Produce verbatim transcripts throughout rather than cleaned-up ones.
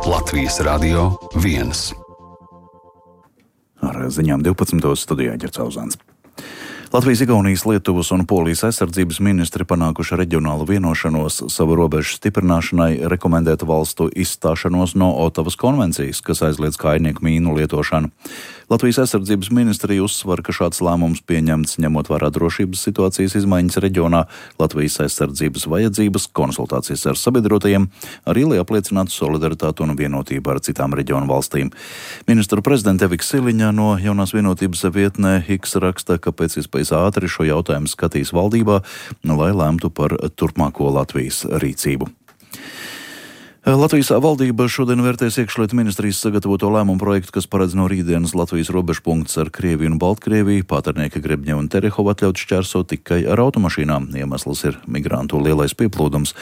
Latvijas Radio viens. Ar ziņām divpadsmitos studijā Ģerts Auzāns. Latvijas, Igaunijas, Lietuvas un Polijas aizsardzības ministri panākuši reģionālu vienošanos savu robežu stiprināšanai, rekomendēt valstu izstāšanos no Otavas konvencijas, kas aizliedz kājnieku mīnu lietošanu. Latvijas aizsardzības ministrija uzsver, ka šāds lēmums pieņemts ņemot vērā drošības situācijas izmaiņas reģionā, Latvijas aizsardzības vajadzības, konsultācijas ar sabiedrotajiem, arī lai apliecinātu solidaritātu un vienotību ar citām reģionu valstīm. Ministru prezidente Evika Siliņa no Jaunās vienotības vietnē X raksta, ka pēc iespējas ātri šo jautājumu skatīs valdībā, lai lemtu par turpmāko Latvijas rīcību. Latvijas valdība šodien vērtēs iekšlietu ministrijas sagatavoto lēmumu projektu, kas paredz no rītdienas Latvijas robežpunktus ar Krieviju un Baltkrieviju Pāternieka, Grebņeva un Terehova atļaut šķērsot tikai ar automašīnām. Iemesls ir migrantu lielais pieplūdums.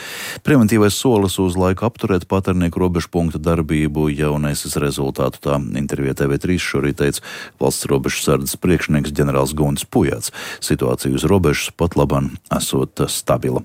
Preventīvais solis uz laiku apturēt Pāternieku robežpunktu darbību jau nesis rezultātu, tā intervijā T V trīs šorīt teica valsts robežu sardzes priekšnieks ģenerālis Guntis Pujāts. Situācija uz robežas pat laban esot stabila.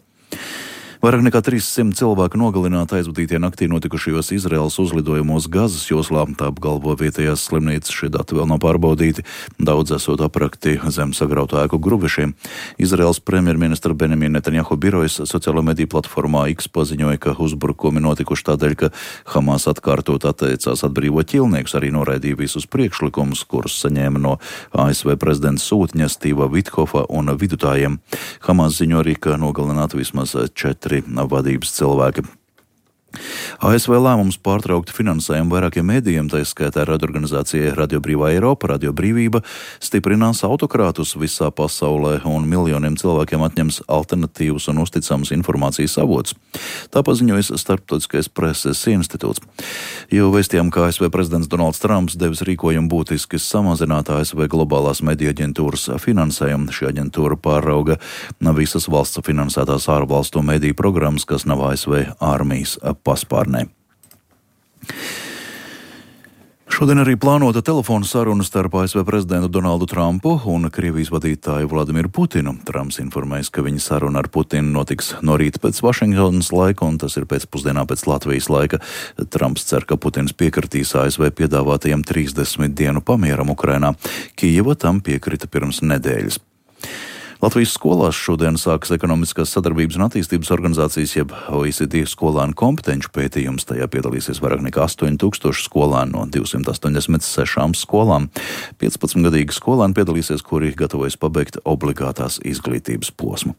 Vairāk nekā trīssimt cilvēku nogalināti aizvadītie naktī notikušajos Izraēlas uzlidojumos Gazas joslā, tā apgalvo vietējās slimnīcas, šie dati vēl nav pārbaudīti, daudz esot aprakti zem sagrautu ēku gruvešiem. Izraēlas premjerministra Benjamina Netanjahu birojas sociālo mediju platformā X paziņoja, ka uzbrukumi notikuši tādēļ, ka Hamas atkārtot atteicās atbrīvot ķilniekus, arī noraidīja visus priekšlikumus, kurus saņēma no A S V prezidenta sūtņa Stīva Vithofa un vidutājiem. Hamas ziņo arī, ka nogalināti vismaz četri vadības cilvēki. A S V lēmums pārtraukt finansējumu vairākiem mēdījiem, tā skaitā radioorganizācijai Radio Brīvā Eiropa, Radio Brīvība, stiprinās autokrātus visā pasaulē un miljoniem cilvēkiem atņems alternatīvus un uzticams informācijas avots. Tā paziņojas Starptautiskais preses institūts. Jau vēstījām, ka A S V prezidents Donalds Trumps devis rīkojumu būtiski samazināt A S V globālās mediju aģentūras finansējumu. Šī aģentūra pārauga visas valsts finansētās ārvalstu mediju programmas, kas nav A S V armijas paspārnē. Šodien arī plānota telefona saruna starp A S V prezidentu Donaldu Trumpu un Krievijas vadītāju Vladimiru Putinu. Trumps informēs, ka viņa saruna ar Putinu notiks no rīta pēc Vašingtonas laika, un tas ir pēcpusdienā pēc Latvijas laika. Trumps cer, ka Putins piekritīs A S V piedāvātajiem trīsdesmit dienu pamieram Ukrainā. Kijeva tam piekrita pirms nedēļas. Latvijas skolās šodien sākas Ekonomiskās sadarbības un attīstības organizācijas, jeb O E C D skolānu kompetenču pētījums. Tajā piedalīsies vairāk nekā astoņi tūkstoši skolānu no divsimt astoņdesmit sešām skolām. piecpadsmitgadīgi skolāni piedalīsies, kuri gatavojas pabeigt obligātās izglītības posmu.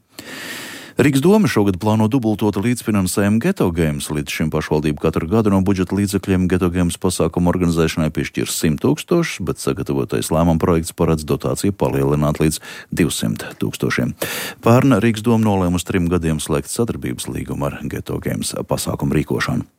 Rīgas doma šogad plāno dubultot līdzfinansējumu Ghetto Games. Līdz šim pašvaldība katru gadu no budžeta līdzekļiem Ghetto Games pasākumu organizēšanai piešķir simt tūkstošus, bet sagatavotais lēmuma projekts paredz dotāciju palielināt līdz divsimt tūkstošiem. Pērn Rīgas doma nolēma uz trim gadiem slēgt sadarbības līgumu ar Ghetto Games pasākumu rīkošanu.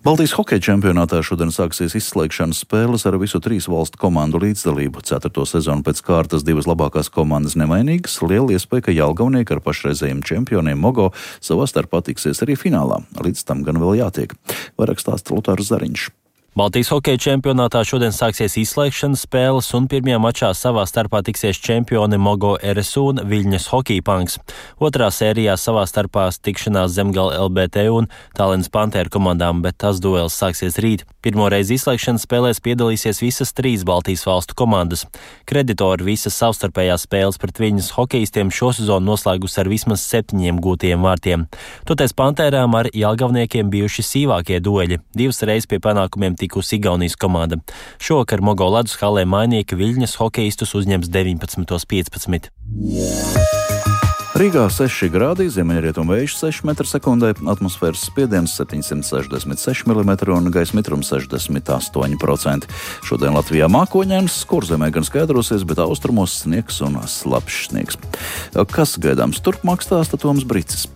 Baltijas hokeja čempionātā šodien sāksies izslēgšanas spēles ar visu trīs valstu komandu līdzdalību. Ceturto sezonu pēc kārtas divas labākās komandas nemainīgas. Liela iespēja, ka Jelgavnieki ar pašreizējiem čempioniem Mogo savā starpā tiksies arī finālā. Līdz tam gan vēl jātiek. Vairāk stāsta Lutārs Zariņš. Baltijas hokeja čempionātā šodien sāksies izslēgšanas spēles, un pirmajā mačā savā starpā tiksies čempioni Mogo R S U un Viļņas Hockey Punks. Otrā sērijā savā starpā tikšanās Zemgala L B T un Tallinas Pantēru komandām, bet tas duels sāksies rīt. Pirmoreiz izslēgšanas spēlēs piedalīsies visas trīs Baltijas valstu komandas. Kreditori visas savstarpējās spēles pret Viļņas hokeistiem šosezonu noslēgus ar vismaz septiņiem gūtiem vārtiem. Toties Pantērām ar Jelgavniekiem bijuši sīvākie dueļi. Divas reizes pie panākumiem tikusi Igaunijas komanda. Šovakar Mogo ledus halē mainīja, Viļņas hokeistus uzņems deviņpadsmit piecpadsmit. Rīgā seši grādi, ziemeļrietumu vējš seši metri sekundē, atmosfēras spiediens septiņsimt sešdesmit seši milimetri un gaisa mitrums sešdesmit astoņi procenti. Šodien Latvijā mākoņains, kurzemē gan skaidrosies, bet austrumos sniegs un slapjš sniegs. Kas gaidāms turpmāk, stāsta Toms Bricis.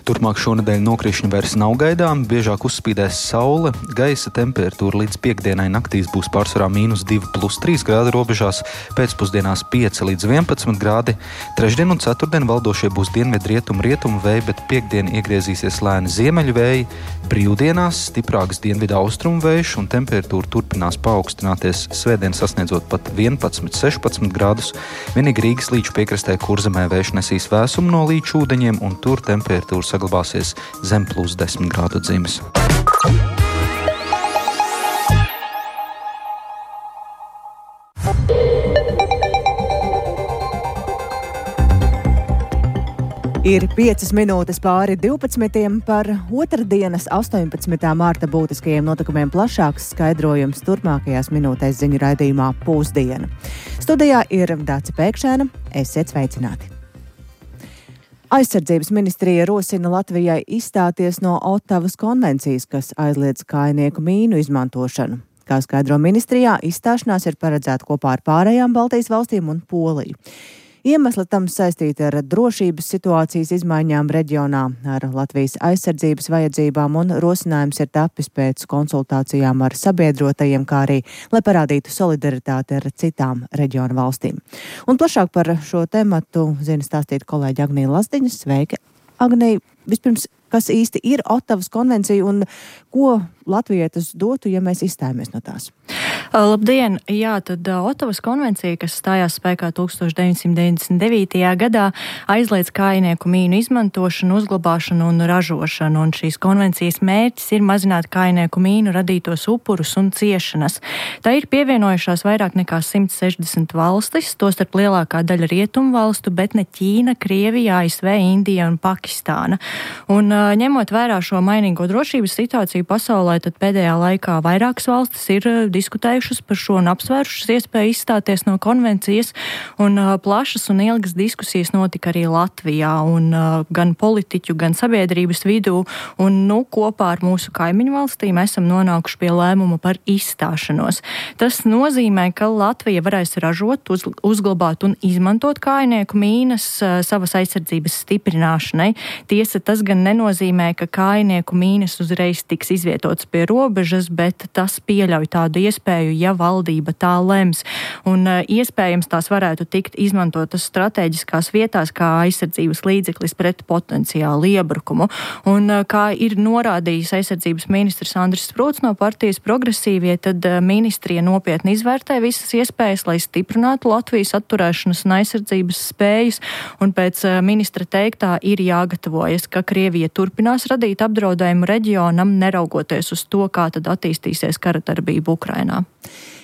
Turpmāk šonedēļ nokrišņi vairs nav gaidām, biežāk uzspīdēs saule, gaisa temperatūra līdz piekdienai naktīs būs pārsvarā mīnus divi plus trīs grādi robežās, pēcpusdienās pieci līdz vienpadsmit grādi. Trešdien un ceturtdien valdošie būs dienvidu rietumu rietumu vēji, bet piekdien iegriezīsies lēni ziemeļu vēji. Brīvdienās stiprāks dienvidu austrumu vējš un temperatūra turpinās paaugstināties, svētdien sasniedzot pat vienpadsmit sešpadsmit grādus. Vienīgi Rīgas līču piekrastē Kurzemē vējš nesīs vēsumu no līču ūdeņiem, un tur temperatūra saglabāsies zem plus desmit grādu dzimes. Ir piecas minūtes pāri divpadsmitiem par otrdienas astoņpadsmitā mārta būtiskajiem notikumiem plašāks skaidrojums turpmākajās minūtēs ziņu raidījumā Pusdiena. Studijā ir Dāce Pēkšēna, esiet sveicināti. Aizsardzības ministrija rosina Latvijai izstāties no Otavas konvencijas, kas aizliedz kājnieku mīnu izmantošanu. Kā skaidro ministrijā, izstāšanās ir paredzēta kopā ar pārējām Baltijas valstīm un Poliju. Iemesli tam saistīti ar drošības situācijas izmaiņām reģionā, ar Latvijas aizsardzības vajadzībām, un rosinājums ir tapis pēc konsultācijām ar sabiedrotajiem, kā arī, lai parādītu solidaritāti ar citām reģionu valstīm. Un plašāk par šo tematu zina stāstīt kolēģi Agnija Lazdiņa. Sveika, Agnija! Vispirms, kas īsti ir Otavas konvencija un ko Latvijai tas dotu, ja mēs izstājamies no tās? Labdien! Jā, tad Otavas konvencija, kas stājās spēkā tūkstoš deviņsimt deviņdesmit devītajā gadā, aizliedz kājnieku mīnu izmantošanu, uzglabāšanu un ražošanu, un šīs konvencijas mērķis ir mazināt kājnieku mīnu radītos upurus un ciešanas. Tā ir pievienojušās vairāk nekā simt sešdesmit valstis, tostarp lielākā daļa rietumu valstu, bet ne Ķīna, Krievija, A S V, Indija un Pakistāna. Un ņemot vērā šo mainīgo drošības situāciju pasaulē, tad pēdējā laikā vairākas valstis ir diskutējušas par šo un apsvērušas iespēju izstāties no konvencijas, un plašas un ilgas diskusijas notika arī Latvijā, un gan politiķu, gan sabiedrības vidū, un nu, kopā ar mūsu kaimiņu valstīm esam nonākuši pie lēmuma par izstāšanos. Tas nozīmē, ka Latvija varēs ražot, uz, uzglabāt un izmantot kājnieku mīnas savas aizsardzības stiprināšanai. Tiesa, tas gan nenozīmē, ka kājnieku mīnas uzreiz tiks izvietotas pie robežas, bet tas pieļauj tādu iespēju, ja valdība tā lems. Un iespējams tās varētu tikt izmantotas strateģiskās vietās kā aizsardzības līdzeklis pret potenciālu iebrukumu. Un kā ir norādījis aizsardzības ministrs Andris Sprūts no partijas Progresīvie, tad ministrija nopietni izvērtē visas iespējas, lai stiprinātu Latvijas atturēšanas un aizsardzības spējas, un pēc ministra teiktā ir jāgatavojas, ka Krievija turpinās radīt apdraudējumu reģionam, neraugoties uz to, kā tad attīstīsies karadarbība Ukrainā.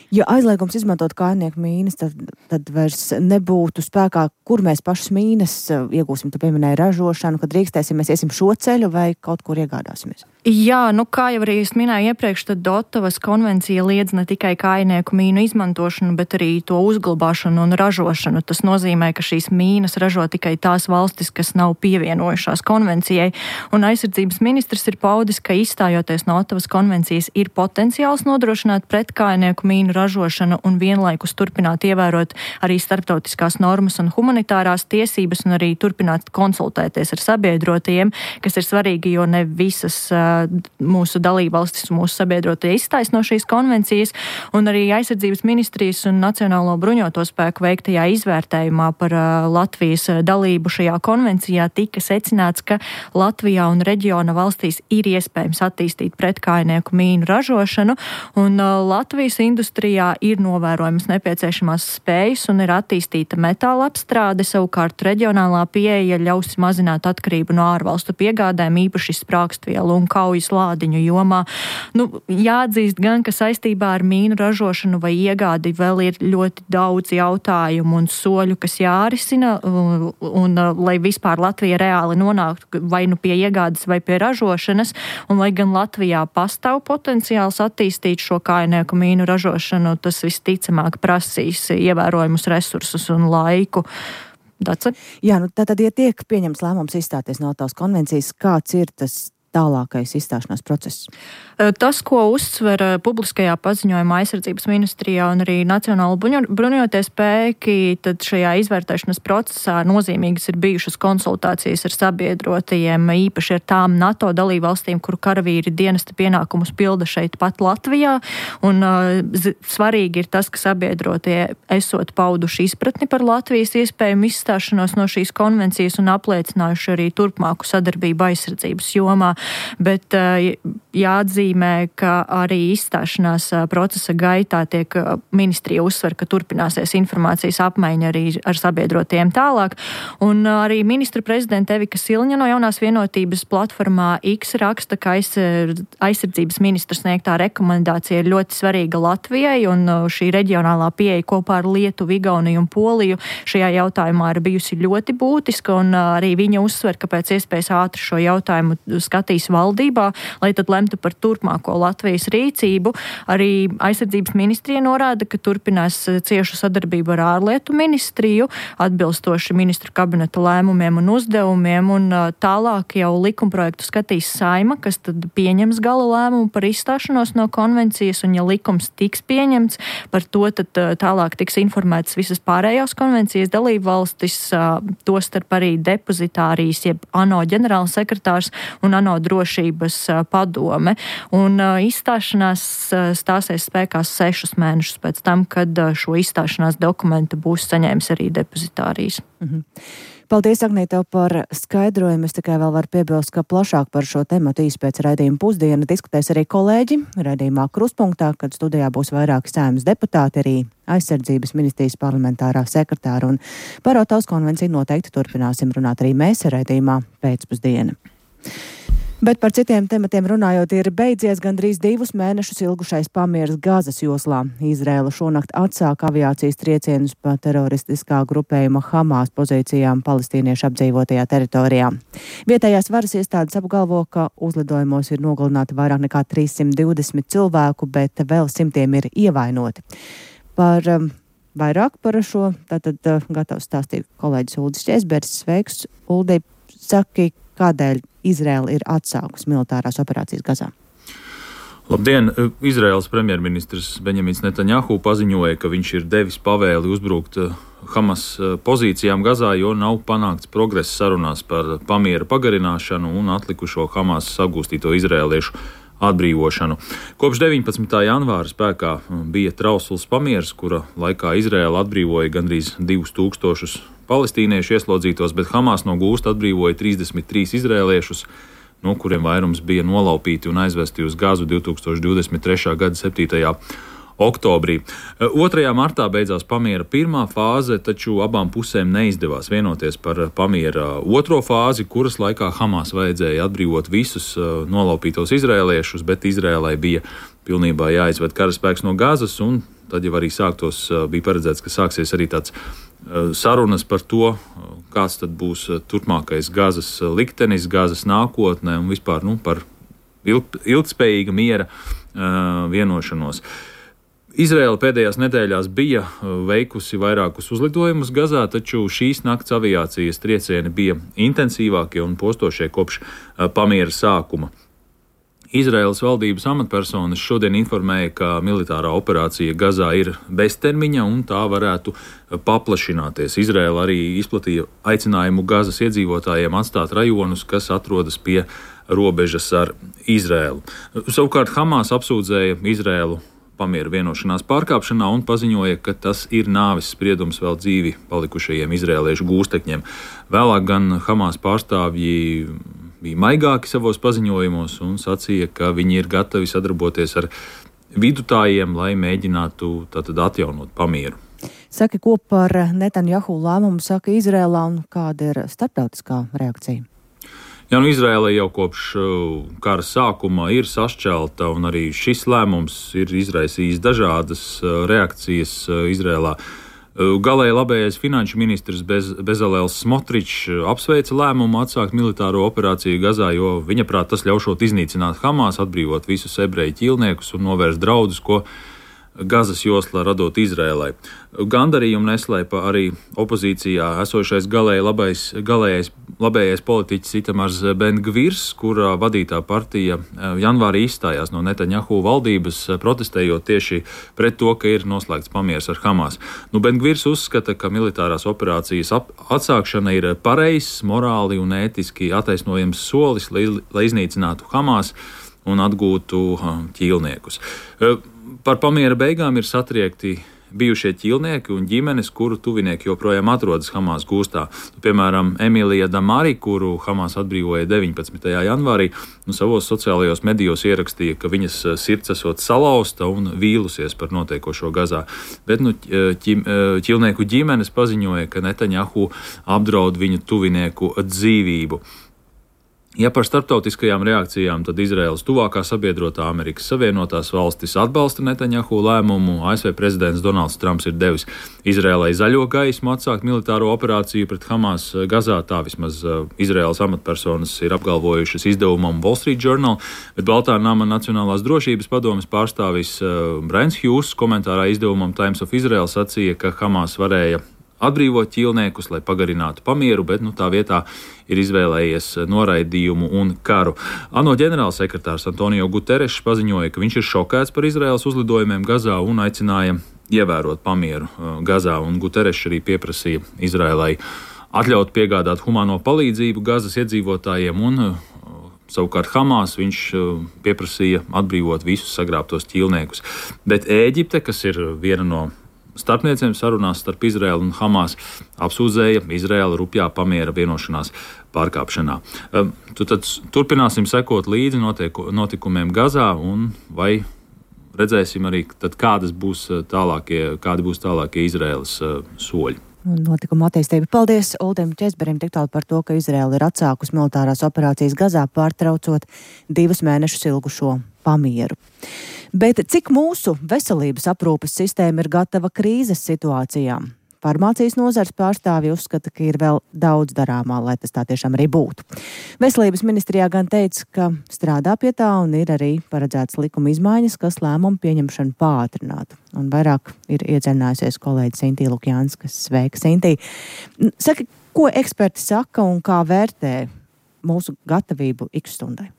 Ja aizliegums izmantot kājnieku mīnas, tad, tad vairs nebūtu spēkā, kur mēs pašas mīnas iegūsim. Tu pieminēji ražošanu, kad drīkstēsim, mēs iesim šo ceļu vai kaut kur iegādāsimies? Jā, nu kā jau arī es minēju iepriekš, tad Otavas konvencija liedz ne tikai kājnieku mīnu izmantošanu, bet arī to uzglabāšanu un ražošanu. Tas nozīmē, ka šīs mīnas ražo tikai tās valstis, kas nav pievienojušās konvencijai. Un aizsardzības ministrs ir paudis, ka izstājoties no Otavas konvencijas ir potenciāls nodrošināt pret kājnieku mīnu ražošanu un vienlaikus turpināt ievērot arī starptautiskās normas un humanitārās tiesības un arī turpināt konsultēties ar sabiedrotajiem, kas ir svarīgi, jo ne visas uh, mūsu dalībvalstis un mūsu sabiedrotie izstājas no šīs konvencijas, un arī aizsardzības ministrijas un Nacionālo bruņoto spēku veiktajā izvērtējumā par uh, Latvijas dalību šajā konvencijā tika secināts, ka Latvijā un reģiona valstīs ir iespējams attīstīt pretkājnieku mīnu ražošanu, un uh, Latvijas industrija ir novērojamas nepieciešamās spējas un ir attīstīta metāla apstrāde, savukārt reģionālā pieeja ļaus mazināt atkarību no ārvalstu piegādēm, īpaši sprākstvielu un kaujas lādiņu jomā. Nu, jāatzīst gan, ka saistībā ar mīnu ražošanu vai iegādi vēl ir ļoti daudz jautājumu un soļu, kas jārisina, un, un lai vispār Latvija reāli nonāktu vai nu pie iegādes vai pie ražošanas, un lai gan Latvijā pastāv potenciāls attīstīt šo kājnieku mīnu ražošanu, tas visticamāk prasīs ievērojumus resursus un laiku. Dace? Jā, nu tātad, ja tiek pieņemts lēmums izstāties no Otavas konvencijas, kāds ir tas tālākais izstāšanās process? Tas, ko uzsver publiskajā paziņojumā aizsardzības ministrijā un arī Nacionālo bruņotie spēki, tad šajā izvērtēšanas procesā nozīmīgas ir bijušas konsultācijas ar sabiedrotajiem, īpaši ar tām NATO dalībvalstīm, kuru karavīri dienesta pienākumus pilda šeit pat Latvijā, un uh, svarīgi ir tas, ka sabiedrotie esot pauduši izpratni par Latvijas iespējumu izstāšanos no šīs konvencijas un apliecinājuši arī turpmāku sadarbību aizsardzības jomā. bet jāatzīmē, ka arī izstāšanās procesa gaitā tiek ministrija uzsver, ka turpināsies informācijas apmaiņa arī ar sabiedrotiem tālāk. Un arī ministra prezidenta Evika Silņa no Jaunās vienotības platformā X raksta, ka aizsardzības ministra sniegtā rekomendācija ir ļoti svarīga Latvijai, un šī reģionālā pieeja kopā ar Lietuvu, Igauniju un Poliju šajā jautājumā ir bijusi ļoti būtiska, un arī viņa uzsver, ka pēc iespējas ātri šo jautājumu skatīs valdībā, lai tad lemtu par turpmāko Latvijas rīcību. Arī aizsardzības ministrija norāda, ka turpinās ciešu sadarbību ar ārlietu ministriju, atbilstoši ministru kabineta lēmumiem un uzdevumiem, un tālāk jau likumprojektu skatīs Saima, kas tad pieņems gala lēmumu par izstāšanos no konvencijas, un ja likums tiks pieņemts, par to tad tālāk tiks informētas visas pārējās konvencijas dalību valstis, tostarp arī depozitārijas, jeb ANO ģenerālsekretārs un ANO drošības padome. Un izstāšanās stāsies spēkā sešus mēnešus pēc tam, kad šo izstāšanās dokumentu būs saņēmis arī depozitārijas. Mhm. Paldies, Agnīte, par skaidrojumu. Es tikai vēl varu piebilst, ka plašāk par šo tematu īsi pēc raidījuma pusdiena diskutēs arī kolēģi raidījumā Kruspunktā, kad studijā būs vairāki Saeimas deputāti, arī aizsardzības ministrijas parlamentārā sekretāra, un par Otavas konvenciju noteikti turpināsim runāt arī mēs raidījumā pēcpusdiena. Bet par citiem tematiem runājot, ir beidzies gandrīz divus mēnešus ilgušais pamieris Gazas joslā. Izraela šonakt atsāka aviācijas triecienus pa teroristiskā grupējuma Hamas pozīcijām palestīniešu apdzīvotajā teritorijā. Vietējās varas iestādes apgalvo, ka uzlidojumos ir nogalināti vairāk nekā trīssimt divdesmit cilvēku, bet vēl simtiem ir ievainoti. Par um, vairāk par šo tātad uh, gatavs stāstīt kolēģis Uldis Česbergs. Sveiks, Uldi, saki, kādēļ Izraela ir atsākusi militārās operācijas Gazā? Labdien! Izraēlas premjerministrs Benjamins Netanjahu paziņoja, ka viņš ir devis pavēli uzbrukt Hamas pozīcijām Gazā, jo nav panākts progress sarunās par pamiera pagarināšanu un atlikušo Hamas sagūstīto izraēliešu atbrīvošanu. Kopš deviņpadsmitā janvāra spēkā bija trausls pamieris, kura laikā Izraēla atbrīvoja gandrīz divus tūkstošus palestīniešu ieslodzītos, bet Hamas no gūsta atbrīvoja trīsdesmit trīs izraēliešus, no kuriem vairums bija nolaupīti un aizvesti uz Gazu divtūkstoš divdesmit trešā gada septītajā oktobrī. otrajā martā beidzās pamiera pirmā fāze, taču abām pusēm neizdevās vienoties par pamiera otro fāzi, kuras laikā Hamas vajadzēja atbrīvot visus nolaupītos izraēliešus, bet Izraēlai bija pilnībā jāizved karaspēks no Gazas, un tad jau arī sāktos, bija paredzēts, ka sāksies arī tāds sarunas par to, kāds tad būs turpmākais Gazas liktenis, Gazas nākotne un vispār nu, par ilg, ilgspējīga miera uh, vienošanos. Izraēla pēdējās nedēļās bija veikusi vairākus uzlidojumus Gazā, taču šīs nakts aviācijas triecieni bija intensīvākie un postošie kopš uh, pamiera sākuma. Izraēlas valdības amatpersonas šodien informēja, ka militārā operācija Gazā ir beztermiņa un tā varētu paplašināties. Izraēla arī izplatīja aicinājumu Gazas iedzīvotājiem atstāt rajonus, kas atrodas pie robežas ar Izraēlu. Savukārt Hamas apsūdzēja Izraēlu pamiera vienošanās pārkāpšanā un paziņoja, ka tas ir nāves spriedums vēl dzīvi palikušajiem izraēliešu gūstekņiem. Vēlāk gan Hamas pārstāvji bija maigāki savos paziņojumos un sacīja, ka viņi ir gatavi sadarboties ar vidutājiem, lai mēģinātu tātad atjaunot pamieru. Saki, ko par Netanjahu lēmumu saka Izrēlā un kāda ir starptautiskā reakcija? Jā, nu Izraēla jau kopš kara sākuma ir sašķelta, un arī šis lēmums ir izraisījis dažādas reakcijas Izraēlā. Galēji labējais finanšu ministrs Bez, Bezalēls Smotričs apsveica lēmumu atsākt militāro operāciju Gazā, jo viņa prāt tas ļaušot iznīcināt Hamas, atbrīvot visus ebreju ķīlniekus un novērst draudus, ko Gazas joslā radot Izraēlai. Gandarījumu neslēpa arī opozīcijā esošais galēji labais, galējais, labējais politiķis Itamars Ben-Gvirs, kura vadītā partija janvārī izstājās no Netanjahu valdības, protestējot tieši pret to, ka ir noslēgts pamieris ar Hamas. Nu, Ben-Gvirs uzskata, ka militārās operācijas ap, atsākšana ir pareizs, morāli un ētiski attaisnojams solis, lai, lai iznīcinātu Hamas un atgūtu ķīlniekus. Par pamiera beigām ir satriekti bijušie ķīlnieki un ģimenes, kuru tuvinieki joprojām atrodas Hamas gūstā. Nu, piemēram, Emīlija Damari, kuru Hamas atbrīvoja deviņpadsmitajā janvārī, nu, savos sociālajos medijos ierakstīja, ka viņas sirds esot salauzta un vīlusies par notiekošo Gazā. Bet nu, ķim, ķīlnieku ģimenes paziņoja, ka Netanjahu apdraud viņu tuvinieku dzīvību. Ja par starptautiskajām reakcijām, tad Izraēlas tuvākā sabiedrotā Amerikas Savienotās valstis atbalsta Netanjahu lēmumu. A S V prezidents Donalds Trumps ir devis Izraēlai zaļo gaismu atsākt militāro operāciju pret Hamas Gazā. Tā vismaz Izraēlas amatpersonas ir apgalvojušas izdevumam Wall Street Journal, bet Baltā nama Nacionālās drošības padomes pārstāvis Brains Hughes komentārā izdevumam Times of Israel sacīja, ka Hamas varēja atbrīvot ķīlniekus, lai pagarinātu pamieru, bet nu, tā vietā ir izvēlējies noraidījumu un karu. ANO ģenerālsekretārs Antonio Guterres paziņoja, ka viņš ir šokēts par Izraēlas uzlidojumiem Gazā un aicināja ievērot pamieru Gazā, un Guterres arī pieprasīja Izraēlai atļaut piegādāt humāno palīdzību Gazas iedzīvotājiem, un savukārt Hamas viņš pieprasīja atbrīvot visus sagrābtos ķīlniekus. Bet Ēģipte, kas ir viena no starpniecēm sarunās starp Izraēlu un Hamas, apsūdzēja Izraēlu rupjā pamiera vienošanās pārkāpšanā. Tu tad turpināsim sekot līdzi notieku, notikumiem Gazā, un vai redzēsim arī, tad kādas būs tālākie, kādi būs tālākie Izraēlas soļi. Notikuma attīstība. Paldies Uldim Česberim tik tālu par to, ka Izraēla ir atsākus militārās operācijas Gazā, pārtraucot divus mēnešus ilgušo pamieru. Bet cik mūsu veselības aprūpes sistēma ir gatava krīzes situācijām? Farmācijas nozars pārstāvji uzskata, ka ir vēl daudz darāmā, lai tas tā tiešām arī būtu. Veselības ministrijā gan teica, ka strādā pie tā un ir arī paredzēts likuma izmaiņas, kas lēmumu pieņemšanu pātrinātu. Un vairāk ir iedziļinājusies kolēģi Sintī Lukjānska. Sveika, Sintī! Saki, ko eksperti saka un kā vērtē mūsu gatavību ikstundai?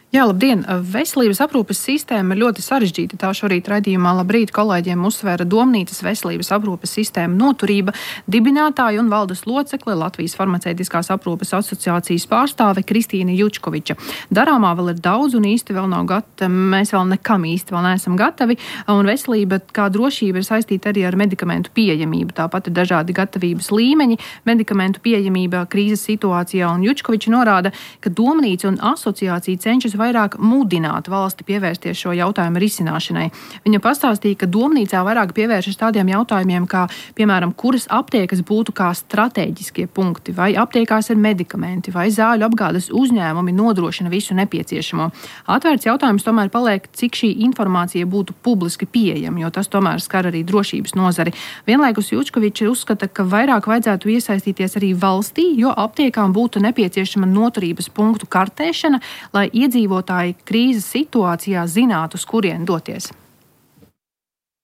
Jā, labdien! Veselības aprūpes sistēma ir ļoti sarežģīta. Tā šorīt raidījumā Labrīt kolēģiem uzsvēra Domnīcas veselības aprūpes sistēma noturība dibinātāja un valdes locekle Latvijas farmaceitiskās aprūpes asociācijas pārstāve Kristīna Jučkoviča. Darāmā vēl ir daudz un īsti vēl nav gatavi. Mēs vēl nekam īsti vēl neesam gatavi. Un veselība kā drošība ir saistīta arī ar medikamentu pieejamību. Tāpat ir dažādi gatavības līmeņi medikamentu pieejamība krīzes situācijā. Un Jučkoviča norāda, ka Domnīca un asociācija cenšas vairāk mudināt valsti pievērsties šo jautājumu risināšanai. Viņa pastāstīja, ka Domnīcā vairāk pievēršas tādiem jautājumiem, kā, piemēram, kuras aptiekas būtu kā stratēģiskie punkti, vai aptiekās ir medikamenti, vai zāļu apgādes uzņēmumi nodrošina visu nepieciešamo. Atvērts jautājums tomēr paliek, cik šī informācija būtu publiski pieejama, jo tas tomēr skar arī drošības nozari. Vienlaikus Jučkoviča uzskata, ka vairāk vajadzētu iesaistīties arī valstī, jo aptiekām būtu nepieciešama noturības punktu kartēšana, lai iedzīvotāji krīzes situācijā zinātu, uz kurien doties.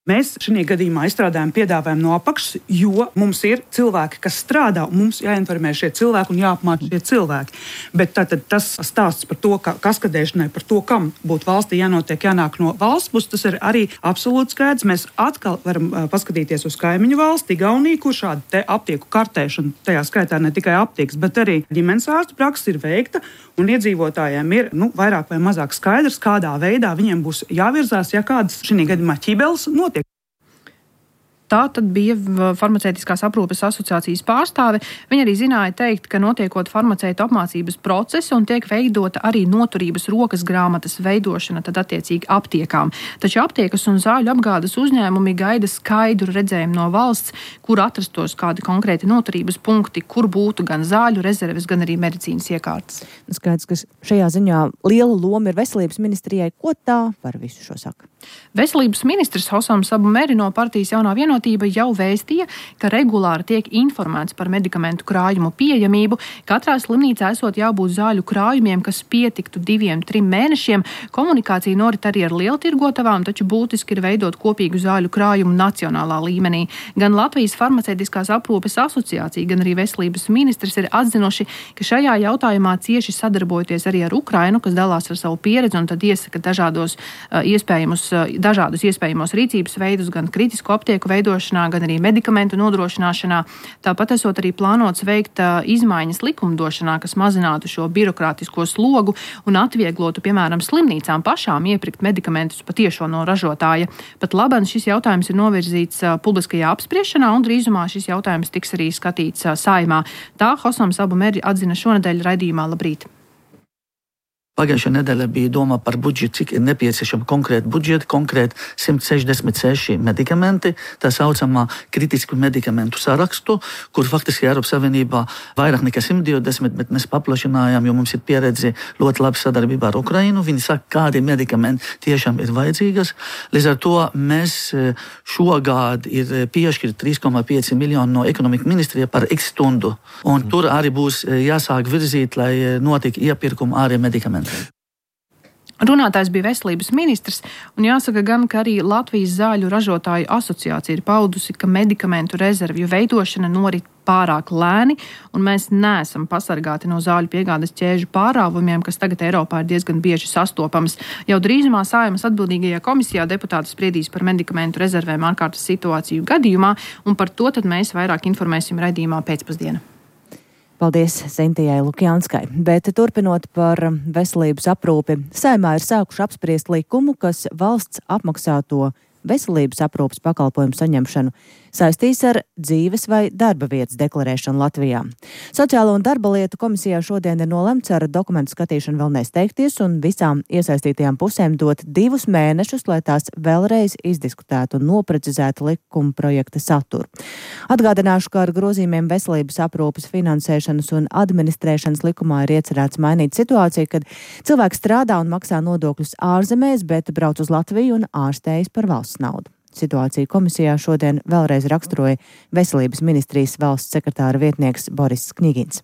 Mēs šajā gadījumā izstrādājam piedāvājumu no apakšas, jo mums ir cilvēki, kas strādā, un mums jāinformē šie cilvēki un jāapmāca šie cilvēki. Bet tātad tas stāsts par to, ka kaskadēšanai, par to, kam būtu valstī jānotiek, jānāk no valsts puses, tas ir arī absolūti skaidrs. Mēs atkal varam uh, paskatīties uz kaimiņu valsti, Igauniju, kur šāda te aptieku kartēšana, tajā skaitā ne tikai aptiekas, bet arī ģimenes ārstu praksa ir veikta, un iedzīvotājiem ir nu, vairāk vai mazāk skaidrs, kādā veidā viņiem būs jāvirzās, ja kādas šajā gadījumā ķibeles notiek. Tā tad bija farmaceitiskās aprūpes asociācijas pārstāve. Viņa arī zināja teikt, ka notiekot farmaceitu apmācības procesu un tiek veidota arī noturības rokas grāmatas veidošana, tad attiecīgi aptiekām. Taču aptiekas un zāļu apgādes uzņēmumi gaida skaidru redzējumu no valsts, kur atrastos kādi konkrēti noturības punkti, kur būtu gan zāļu rezerves, gan arī medicīnas iekārtas. Skaidrs, ka šajā ziņā liela loma ir veselības ministrijai. Ko tā par visu šo saka? Veselības ministrs Hosams Abu Meri no partijas Jaunā vienotība jau vēstīja, ka regulāri tiek informēts par medikamentu krājumu pieejamību. Katrā slimnīcā esot jābūt zāļu krājumiem, kas pietiktu diviem, trim mēnešiem. Komunikācija norit arī ar lieltirgotavām, taču būtiski ir veidot kopīgu zāļu krājumu nacionālā līmenī. Gan Latvijas farmaceitiskās aprūpes asociācija, gan arī veselības ministrs ir atzinuši, ka šajā jautājumā cieši sadarbojoties arī ar Ukrainu, kas dalās ar savu pieredzi un tad iesaka dažādos uh, iespējamus dažādus iespējamos rīcības veidus, gan kritisku aptieku veidošanu, veidošanā, gan arī medikamentu nodrošināšanā. Tāpat esot arī plānots veikt izmaiņas likumdošanā, kas mazinātu šo birokrātisko slogu un atvieglotu, piemēram, slimnīcām pašām iepirkt medikamentus patiešo no ražotāja. Pat labāk šis jautājums ir novirzīts publiskajā apspriešanā, un drīzumā šis jautājums tiks arī skatīts Saeimā. Tā Hosams Abu Meri atzina šonedēļ raidījumā Labrīt. Pagājušā nedēļa bija doma par budžetu, cik ir nepieciešama konkrēta budžeta, konkrēti simt sešdesmit seši medikamenti, tā saucamā kritisku medikamentu sarakstu, kur faktiski Eiropas Savienībā vairāk nekā simt divdesmit, bet mēs paplašinājām, jo mums ir pieredze ļoti labi sadarbībā ar Ukrainu. Viņi saka, kādi medikamenti tiešām ir vajadzīgas. Līdz ar to mēs šogad ir piešķirt trīs komā pieci miljoni no ekonomika ministrija par X stundu. Un tur arī būs jāsāk virzīt, lai notika iepirkuma arī medikamenti. Runātājs bija veselības ministrs, un jāsaka gan, ka arī Latvijas zāļu ražotāju asociācija ir paudusi, ka medikamentu rezervju veidošana norit pārāk lēni, un mēs neesam pasargāti no zāļu piegādes ķēžu pārāvumiem, kas tagad Eiropā ir diezgan bieži sastopams. Jau drīzumā Saeimas atbildīgajā komisijā deputāti spriedīs par medikamentu rezervēm ārkārtas situāciju gadījumā, un par to tad mēs vairāk informēsim raidījumā pēcpusdienā. Paldies Zintijai Lukjanskai. Bet turpinot par veselības aprūpi, Saeimā ir sākuši apspriest likumu, kas valsts apmaksāto veselības aprūpes pakalpojumu saņemšanu saistīs ar dzīves vai darba vietas deklarēšanu Latvijā. Sociālo un darba lietu komisijā šodien ir nolemts ar dokumentu skatīšanu vēl nesteigties un visām iesaistītajām pusēm dot divus mēnešus, lai tās vēlreiz izdiskutētu un noprecizētu likuma projekta saturu. Atgādināšu, ka ar grozījumiem veselības aprūpes finansēšanas un administrēšanas likumā ir iecerēts mainīt situāciju, kad cilvēks strādā un maksā nodokļus ārzemēs, bet brauc uz Latviju un ārstējas par valsts naudu. Situāciju komisijā šodien vēlreiz raksturoja veselības ministrijas valsts sekretāra vietnieks Boris Kņigins.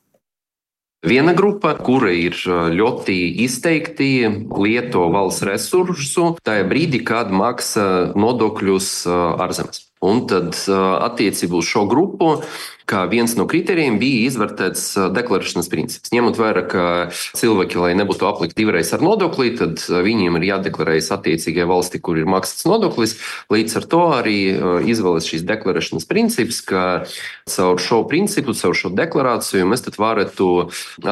Viena grupa, kura ir ļoti izteikti lieto valsts resursu tajā brīdī, kad maksā nodokļus ārzemēs. Un tad attiecībā uz šo grupu, kā viens no kritērijiem bija izvērtēts deklarēšanas princips. Ņemot vērā, ka cilvēki, lai nebūtu aplikti divreiz ar nodokli, tad viņiem ir jādeklarējas attiecīgai valsti, kur ir maksāts nodoklis. Līdz ar to arī izvēlas šīs deklarēšanas princips, ka caur šo principu, caur šo deklarāciju mēs tad varētu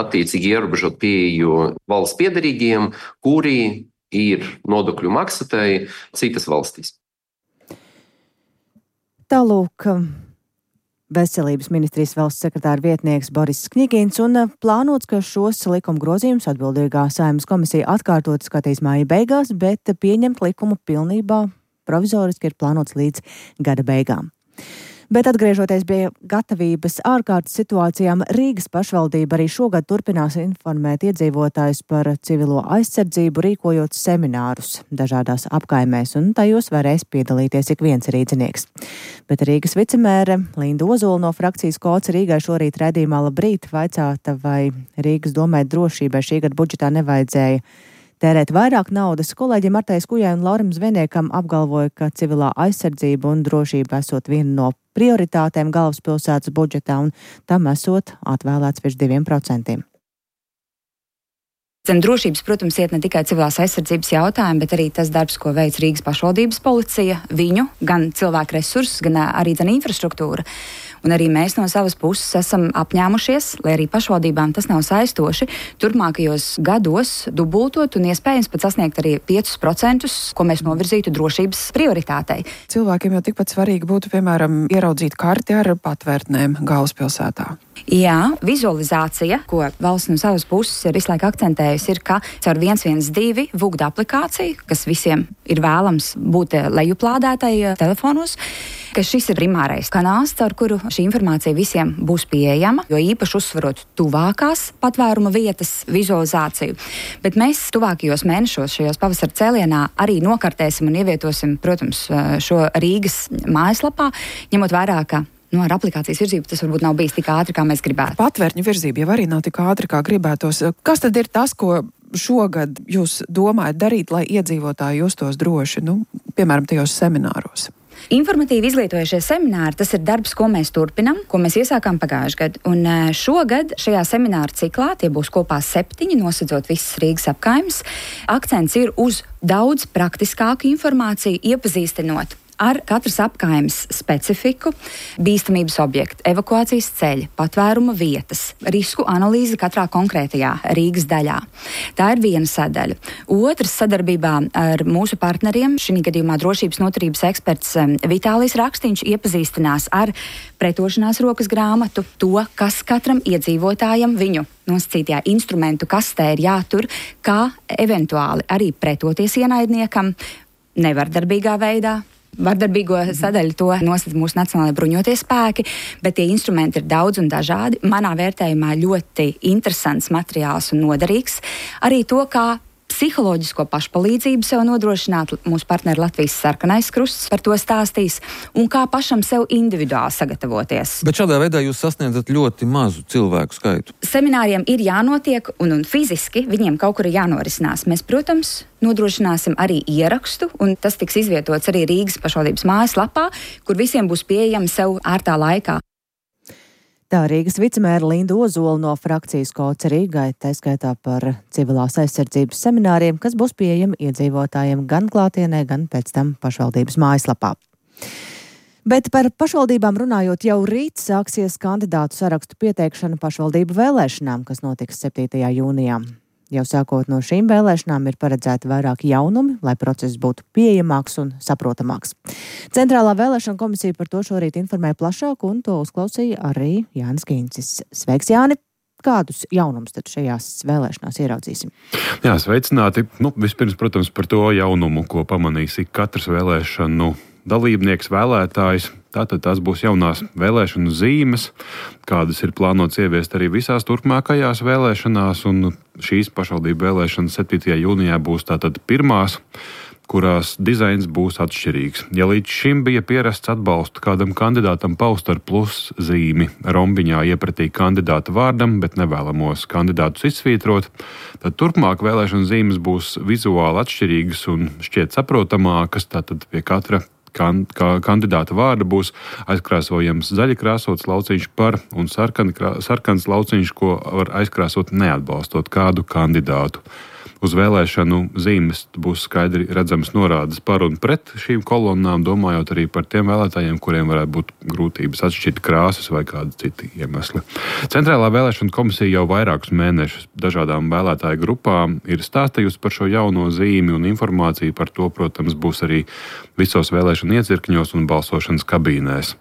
attiecīgi ierobežot pieeju valsts piederīgiem, kuri ir nodokļu maksātāji citas valstīs. Tālūk, veselības ministrijas valsts sekretāra vietnieks Boris Kņigins, un plānots, ka šos likuma grozījumus atbildīgā Saeimas komisija atkārtot skatīs māja beigās, bet pieņemt likumu pilnībā provizoriski ir plānots līdz gada beigām. Bet atgriežoties pie gatavības ārkārtas situācijām, Rīgas pašvaldība arī šogad turpinās informēt iedzīvotājus par civilo aizsardzību, rīkojot seminārus dažādās apkaimēs, un tajos varēs piedalīties ik viens rīdzinieks. Bet Rīgas vicemēre Linda Ozola no frakcijas Kods Rīgai šorīt raidījumā Labrīt vaicāta, vai Rīgas domai drošībai šī gada budžetā nevajadzēja tērēt vairāk naudas. Kolēģi Martai Skujai un Laurim Zvejniekam apgalvoja, ka civilā aizsardzība un drošība esot viena no prioritātēm galvaspilsētas budžetā, un tam esot atvēlēts virs diviem procentiem. Zem drošības, protams, iet ne tikai civilās aizsardzības jautājumi, bet arī tas darbs, ko veic Rīgas pašvaldības policija, viņu, gan cilvēku resursus, gan arī gan infrastruktūra. Un arī mēs no savas puses esam apņēmušies, lai arī pašvaldībām tas nav saistoši, turpmākajos gados dubultot un iespējams pat sasniegt arī piecus procentus, ko mēs novirzītu drošības prioritātei. Cilvēkiem jau tikpat svarīgi būtu, piemēram, ieraudzīt karti ar patvērtnēm galvaspilsētā. Jā, vizualizācija, ko valsts no savas puses ir visu laiku akcentējusi, ir, ka caur viens viens divi vugda aplikāciju, kas visiem ir vēlams būt lejuplādētai telefonos, ka šis ir primārais kanāls, caur kuru šī informācija visiem būs pieejama, jo īpaši uzsvarot tuvākās patvēruma vietas vizualizāciju. Bet mēs tuvākajos mēnešos šajos pavasara cēlienā arī nokartēsim un ievietosim, protams, šo Rīgas mājaslapā, ņemot vērā, ka Nu, ar aplikācijas virzību tas varbūt nav bijis tik ātri, kā mēs gribētu. Patvērtņu virzība jau arī nav tik ātri, kā gribētos. Kas tad ir tas, ko šogad jūs domājat darīt, lai iedzīvotāji justos droši, nu, piemēram, tajos semināros? Informatīvi izglītojušie semināri, tas ir darbs, ko mēs turpinam, ko mēs iesākām pagājušajā gadā. Un šogad šajā semināra ciklā, tie būs kopā septiņi, nosedzot visas Rīgas apkaimes, akcents ir uz daudz praktiskāku informāciju, iepazīstinot ar katras apkaimes specifiku, bīstamības objektu, evakuācijas ceļa, patvēruma vietas, risku analīzi katrā konkrētajā Rīgas daļā. Tā ir viena sadaļa. Otrs, sadarbībā ar mūsu partneriem, šī gadījumā drošības noturības eksperts Vitālijs Rakstīņš iepazīstinās ar pretošanās rokas grāmatu, to, kas katram iedzīvotājam viņu nosacītajā instrumentu kastē ir jātur, kā eventuāli arī pretoties ienaidniekam nevardarbīgā veidā. Vardarbīgo sadaļu to nosaka mūsu Nacionālajie bruņotie spēki, bet tie instrumenti ir daudz un dažādi. Manā vērtējumā ļoti interesants materiāls un noderīgs. Arī to, kā psiholoģisko pašpalīdzību sev nodrošināt, mūsu partneri Latvijas Sarkanais Krusts par to stāstīs, un kā pašam sev individuāli sagatavoties. Bet šādā veidā jūs sasniedzat ļoti mazu cilvēku skaitu. Semināriem ir jānotiek, un, un fiziski viņiem kaut kur ir jānorisinās. Mēs, protams, nodrošināsim arī ierakstu, un tas tiks izvietots arī Rīgas pašvaldības mājaslapā, kur visiem būs pieejami sev ērtā laikā. Tā Rīgas vicemēra Linda Ozola no frakcijas Kods Rīgai, tā skaitā par civilās aizsardzības semināriem, kas būs pieejami iedzīvotājiem gan klātienē, gan pēc tam pašvaldības mājaslapā. Bet par pašvaldībām runājot, jau rīt sāksies kandidātu sarakstu pieteikšana pašvaldību vēlēšanām, kas notiks septītajā jūnijā. Jau sākot no šīm vēlēšanām ir paredzēti vairāki jaunumi, lai process būtu pieejamāks un saprotamāks. Centrālā vēlēšana komisija par to šorīt informēja plašāk, un to uzklausīja arī Jānis Kīncis. Sveiks, Jāni! Kādus jaunumus tad šajās vēlēšanās ieraudzīsim? Jā, sveicināti. Nu, vispirms, protams, par to jaunumu, ko pamanīs ik katrs vēlēšanu dalībnieks, vēlētājs. Tātad tās būs jaunās vēlēšanu zīmes, kādas ir plānotas ieviest arī visās turpmākajās vēlēšanās, un šīs pašvaldību vēlēšanas septītajā jūnijā būs tātad pirmās, kurās dizains būs atšķirīgs. Ja līdz šim bija pierasts atbalstu kādam kandidātam paust ar plus zīmi rombiņā iepratī kandidāta vārdam, bet nevēlamos kandidātus izsvītrot, tad turpmāk vēlēšanu zīmes būs vizuāli atšķirīgas un šķiet saprotamākas, tātad pie katra Kan, kā kandidāta vārda būs aizkrāsojams zaļi krāsots lauciņš par un sarkan, sarkans lauciņš, ko var aizkrāsot neatbalstot kādu kandidātu. Uz vēlēšanu zīmes būs skaidri redzams norādes par un pret šīm kolonnām, domājot arī par tiem vēlētājiem, kuriem varētu būt grūtības atšķirt krāsas vai kādi citi iemesli. Centrālā vēlēšana komisija jau vairākus mēnešus dažādām vēlētāju grupām ir stāstījusi par šo jauno zīmi, un informācija par to, protams, būs arī visos vēlēšanu iecirkņos un balsošanas kabīnēs.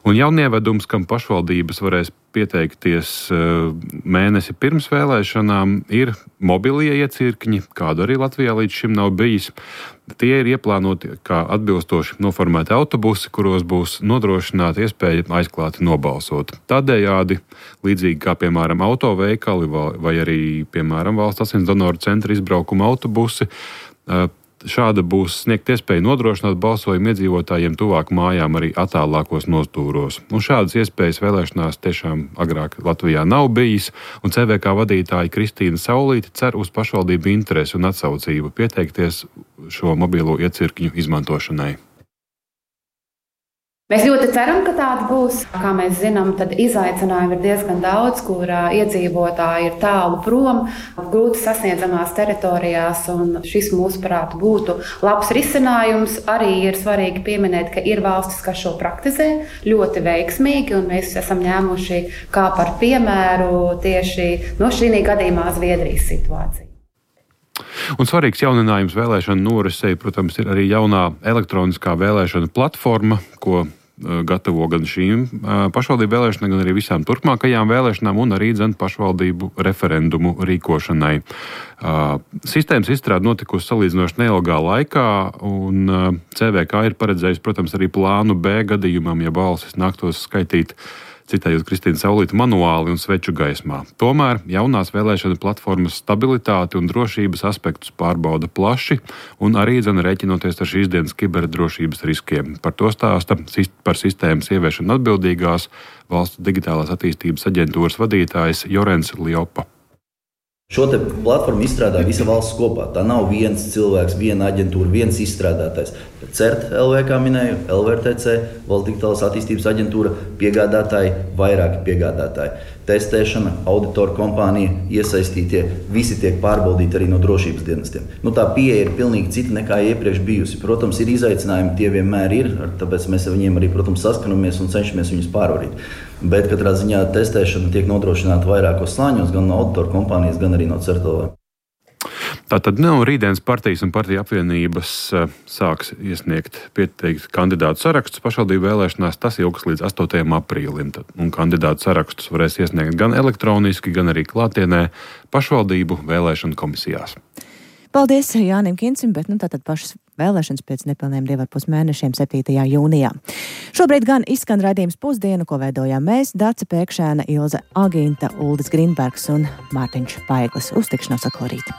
Un jaunievedums, kam pašvaldības varēs pieteikties mēnesi pirms vēlēšanām, ir mobilie iecirkņi, kādu arī Latvijā līdz šim nav bijis. Tie ir ieplānoti kā atbilstoši noformēti autobusi, kuros būs nodrošināta iespēja aizklāti nobalsot. Tādējādi, līdzīgi kā piemēram autoveikali vai arī piemēram valsts asins donoru centra izbraukuma autobusi, šāda būs sniegt iespēju nodrošināt balsojumu iedzīvotājiem tuvāk mājām arī attālākos nostūros. Un šādas iespējas vēlēšanās tiešām agrāk Latvijā nav bijis, un C V K vadītāja Kristīna Saulīte cer uz pašvaldību interesi un atsaucību pieteikties šo mobilo iecirkņu izmantošanai. Mēs ļoti ceram, ka tāda būs. Kā mēs zinām, tad izaicinājumi ir diezgan daudz, kur iedzīvotāji ir tālu prom, grūti sasniedzamās teritorijās, un šis mūsuprāt būtu labs risinājums. Arī ir svarīgi pieminēt, ka ir valstis, kas šo praktizē ļoti veiksmīgi, un mēs esam ņēmuši kā par piemēru tieši no šī gadījumā Zviedrijas situāciju. Un svarīgs jauninājums vēlēšanu norisei, protams, ir arī jaunā elektroniskā vēlēšana platforma, ko gatavo gan šīm pašvaldību vēlēšanām, gan arī visām turpmākajām vēlēšanām un arī dzen pašvaldību referendumu rīkošanai. Sistēmas izstrāde notikusi salīdzinoši neilgā laikā, un C V K ir paredzējis, protams, arī plānu B gadījumam, ja balsis nāktos skaitīt, citējot Kristīnu Saulīti, manuāli un sveču gaismā. Tomēr jaunās vēlēšana platformas stabilitāti un drošības aspektus pārbauda plaši un arī dzen rēķinoties ar šīs dienas kiberdrošības riskiem. Par to stāsta par sistēmas ieviešanu atbildīgās valsts digitālās attīstības aģentūras vadītājs Jorens Liopa. Šo te platformu izstrādā visa valsts kopā. Tā nav viens cilvēks, viena aģentūra, viens izstrādātājs. CERT L V, kā minēju, L V R T C, Valsts digitālās attīstības aģentūra, piegādātāji, vairāki piegādātāji. Testēšana, auditoru kompānija, iesaistītie, visi tiek pārbaudīti arī no drošības dienestiem. Nu, tā pieeja ir pilnīgi cita nekā iepriekš bijusi. Protams, ir izaicinājumi, tie vienmēr ir, tāpēc mēs ar viņiem arī, protams, saskanamies un cenšamies viņus pārvarīt. Bet katrā ziņā testēšana tiek nodrošināta vairākos slāņos, gan no auditoru kompānijas, gan arī no CERT L V. Tātad nav rītdienas partijas un partiju apvienības sāks iesniegt pieteikt kandidātu sarakstus pašvaldību vēlēšanās. Tas ilgs līdz astotajam aprīlim. Un kandidātu sarakstus varēs iesniegt gan elektroniski, gan arī klātienē pašvaldību vēlēšanu komisijās. Paldies Jānim Kincim, bet nu, tātad pašas vēlēšanas pēc nepilniem divi ar pus mēnešiem septītajā jūnijā. Šobrīd gan izskan raidījums Pusdienu, ko veidojām mēs, Dace Pēkšēna, Ilze Agīnta, Uldis Grīnbergs un Mārtiņš Paeglis. Uz tikšanos atkal rīt.